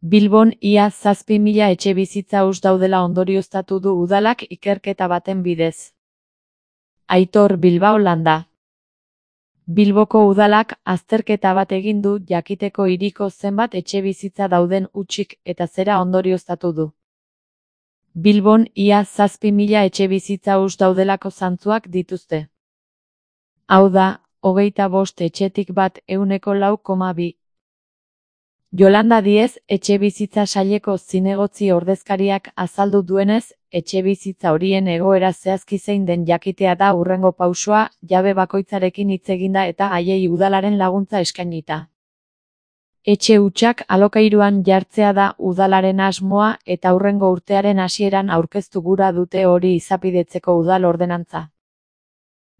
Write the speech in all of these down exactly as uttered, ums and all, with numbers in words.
Bilbon ia zazpi mila etxebizitza huts daudela ondorioztatu du udalak ikerketa baten bidez. Aitor Bilbao Landa. Bilboko udalak azterketa bat egin du jakiteko hiriko zenbat etxebizitza dauden hutsik eta zera ondorioztatu du. Bilbon ia zazpi mila etxebizitza huts daudelako zantzuak dituzte. Hau da, hogeita bost etxetik bat ehuneko lau koma bi. Yolanda Diez, etxebizitza saileko zinegotzi ordezkariak azaldu duenez, etxebizitza horien egoera zehazki zein den jakitea da hurrengo pausoa, jabe bakoitzarekin hitz eginda eta haiei udalaren laguntza eskainita. Etxe hutsak alokairuan jartzea da udalaren asmoa eta hurrengo urtearen hasieran aurkeztu gura dute hori izapidetzeko udal ordenantza.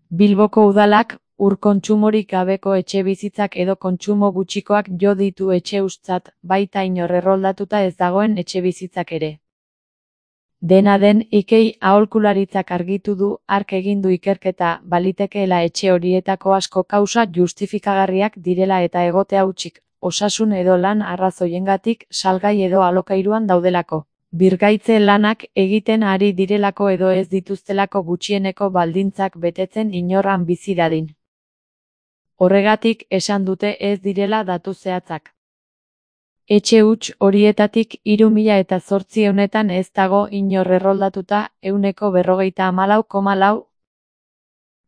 Bilboko udalak ur kontsumorik gabeko etxebizitzak edo kontsumo gutxikoak jo ditu etxe hutszat, baita inor erroldatuta ez dagoen etxebizitzak ere. Dena den, Ikei aholkularitzak argitu du hark egin du ikerketa balitekeela etxe horietako asko kausa justifikagarriak direla eta egotea hutsik, osasun edo lan arrazoiengatik salgai edo alokairuan daudelako. Birgaitze lanak egiten ari direlako edo ez dituztelako gutxieneko baldintzak betetzen inorran bizi dadin. Horregatik esan dute ez direla datu zehatzak. Etxe huts horietatik hiru mila eta zortzionetan ez dago inor erroldatuta ehuneko berrogeita hamalau koma lau.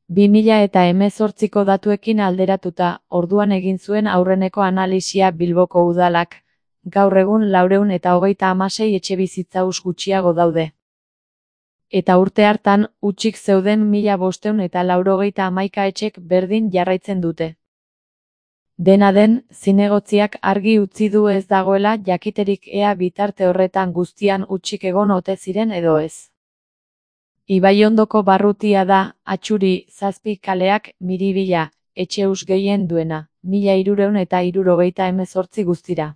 Bi mila eta hemezortziko datuekin alderatuta, orduan egin zuen aurreneko analisia Bilboko udalak. Gaur egun laurehun eta hogeita hamasei etxebizitza huts gutxiago daude. Eta urte hartan, hutsik zeuden mila bostehun eta laurogeita hamaika etxek berdin jarraitzen dute. Dena den, zinegotziak argi utzi du ez dagoela jakiterik ea bitarte horretan guztian hutsik egon ote ziren edo ez. Ibaiondoko barrutia da, Atxuri, Zazpi kaleak, Miribilla, etxe huts gehien duena, mila hirurehun eta hirurogeita hemezortzi guztira.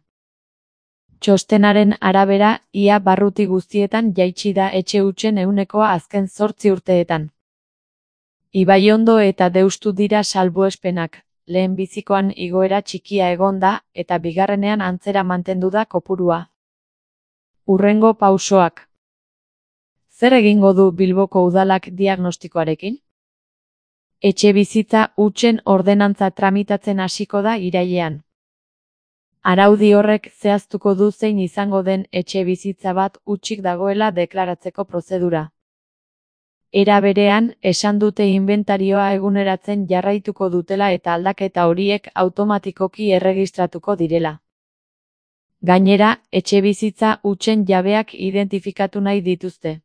Txostenaren arabera, ia barruti guztietan jaitsi da etxe hutsen ehunekoa azken zortzi urteetan. Ibaiondo eta Deustu dira salbuespenak, lehen bizikoan igoera txikia egon da, eta bigarrenean antzera mantendu da kopurua. Hurrengo pausoak. Zer egingo du Bilboko udalak diagnostikoarekin? Etxebizitza hutsen ordenantza tramitatzen hasiko da irailean. Araudi horrek zehaztuko du zein izango den etxebizitza bat hutsik dagoela deklaratzeko prozedura. Era berean, esan dute inbentarioa eguneratzen jarraituko dutela eta aldaketa horiek automatikoki erregistratuko direla. Gainera, etxebizitza hutsen jabeak identifikatu nahi dituzte.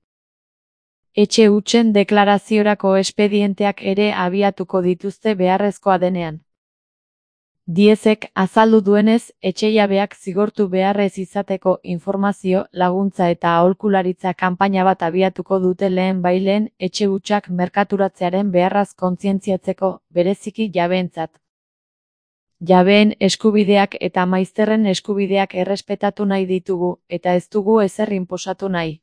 Etxe hutsen deklaraziorako espedienteak ere abiatuko dituzte beharrezkoa denean. Diezek azaldu duenez, etxejabeak zigortu beharrez izateko informazio, laguntza eta aholkularitza kanpaina bat abiatuko dute lehen baileen etxe hutsak merkaturatzearen beharraz kontzientziatzeko, bereziki jabeentzat. Jabeen eskubideak eta maizterren eskubideak errespetatu nahi ditugu, eta ez dugu ezer inposatu nahi.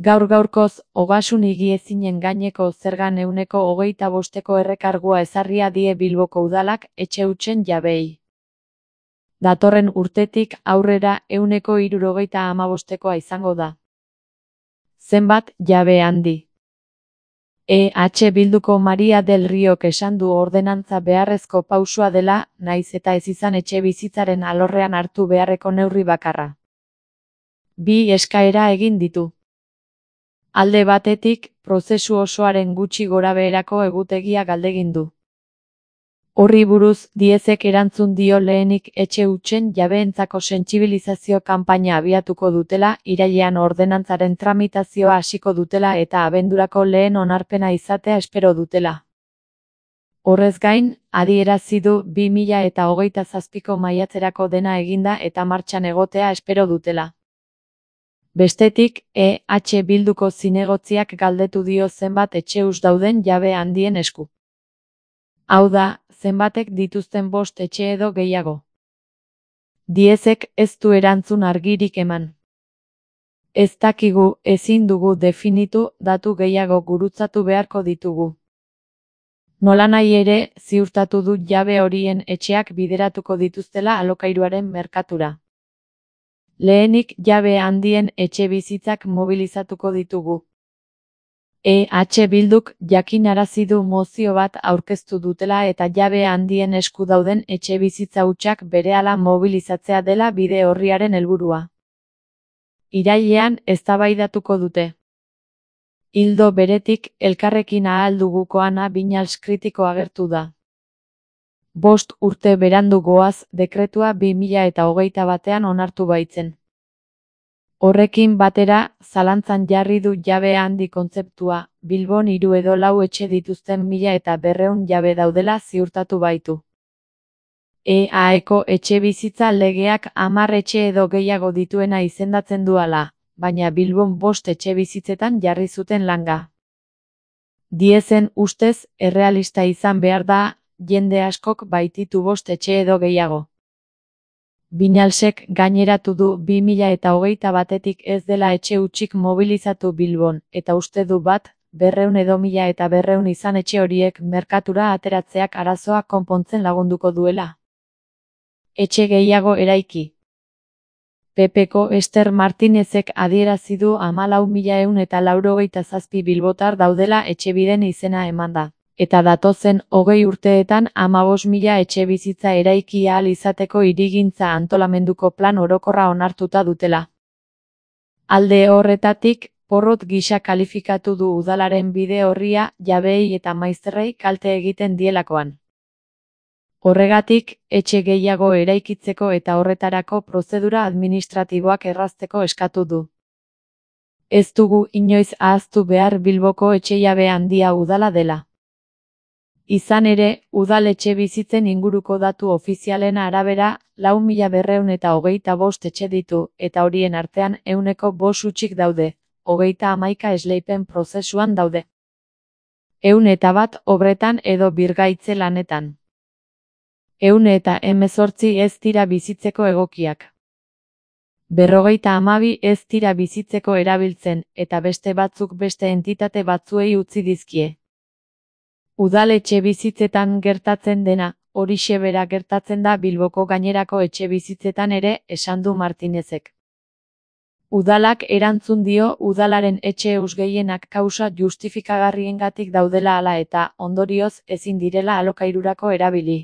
Gaur gaurkoz, ogasun higiezinen gaineko zergan ehuneko hogeita bosteko errekargua ezarria die Bilboko udalak etxe hutsen jabeei. Datorren urtetik aurrera ehuneko hirurogeita hamabostekoa izango da. Zenbat jabe handi. E H Bilduko Maria del Riok esan du ordenantza beharrezko pausua dela, naiz eta ez izan etxe bizitzaren alorrean hartu beharreko neurri bakarra. Bi eskaera egin ditu. Alde batetik, prozesu osoaren gutxi gorabeherako egutegia galdegin du. Horri buruz, Diezek erantzun dio lehenik etxe hutsen jabeentzako sentsibilizazio kanpaina abiatuko dutela, irailean ordenantzaren tramitazioa hasiko dutela eta abendurako lehen onarpena izatea espero dutela. Horrez gain, adierazi du bi mila eta hogeita zazpiko maiatzerako dena eginda eta martxan egotea espero dutela. Bestetik, E H Bilduko zinegotziak galdetu dio zenbat etxe huts dauden jabe handien esku. Hau da, zenbatek dituzten bost etxe edo gehiago. Diezek ez du erantzun argirik eman. Ez dakigu, ezin dugu definitu, datu gehiago gurutzatu beharko ditugu. Nolanahi ere, ziurtatu du jabe horien etxeak bideratuko dituztela alokairuaren merkatura. Lehenik jabe handien etxe bizitzak mobilizatuko ditugu. E H Bilduk jakinarazi du mozio bat aurkeztu dutela eta jabe handien esku dauden etxe bizitza hutsak berehala mobilizatzea dela bide orriaren helburua. Irailean eztabaidatuko dute. Ildo beretik, Elkarrekin ahal dugukoana Viñals kritiko agertu da. Bost urte berandu goaz dekretua bi mila eta hogeita batean onartu baitzen. Horrekin batera, zalantzan jarri du jabe handi kontzeptua, Bilbon hiru edo lau etxe dituzten mila eta berrehun jabe daudela ziurtatu baitu. E Aeko etxe bizitza legeak hamar etxe edo gehiago dituena izendatzen du hala, baina Bilbon bost etxe bizitzetan jarri zuten langa. Diezen ustez, errealista izan behar da, jende askok baititu bost etxe edo gehiago. Viñalsek gaineratu du bi mila eta hogeita batetik ez dela etxe hutsik mobilizatu Bilbon, eta uste du bat, berrehun edo mila eta berrehun izan etxe horiek merkatura ateratzeak arazoa konpontzen lagunduko duela. Etxe gehiago eraiki. P Pko Ester Martinezek adierazi du hamalau mila ehun eta laurogeita zazpi bilbotar daudela Etxebiden izena emanda, eta datozen hogei urteetan hamabost mila etxe bizitza eraiki ahal izateko hirigintza antolamenduko plan orokorra onartuta dutela. Alde horretatik, porrot gisa kalifikatu du udalaren bide orria jabeei eta maizterrei kalte egiten dielakoan. Horregatik, etxe gehiago eraikitzeko eta horretarako prozedura administratiboak errazteko eskatu du. Ez dugu inoiz ahaztu behar Bilboko etxejabe handia udala dela. Izan ere, udal etxe bizitzen inguruko datu ofizialen arabera, lau mila berrehun eta hogeita bost etxe ditu, eta horien artean ehuneko bost hutsik daude, hogeita hamaika esleipen prozesuan daude. Ehun eta bat obretan edo birgaitze lanetan. Ehun eta hemezortzi ez dira bizitzeko egokiak. Berrogeita hamabi ez dira bizitzeko erabiltzen, eta beste batzuk beste entitate batzuei utzi dizkie. Udal etxe bizitzetan gertatzen dena, horixe bera gertatzen da Bilboko gainerako etxe bizitzetan ere, esan du Martinezek. Udalak erantzun dio udalaren etxe huts gehienak kausa justifikagarriengatik daudela hala eta, ondorioz, ezin direla alokairurako erabili.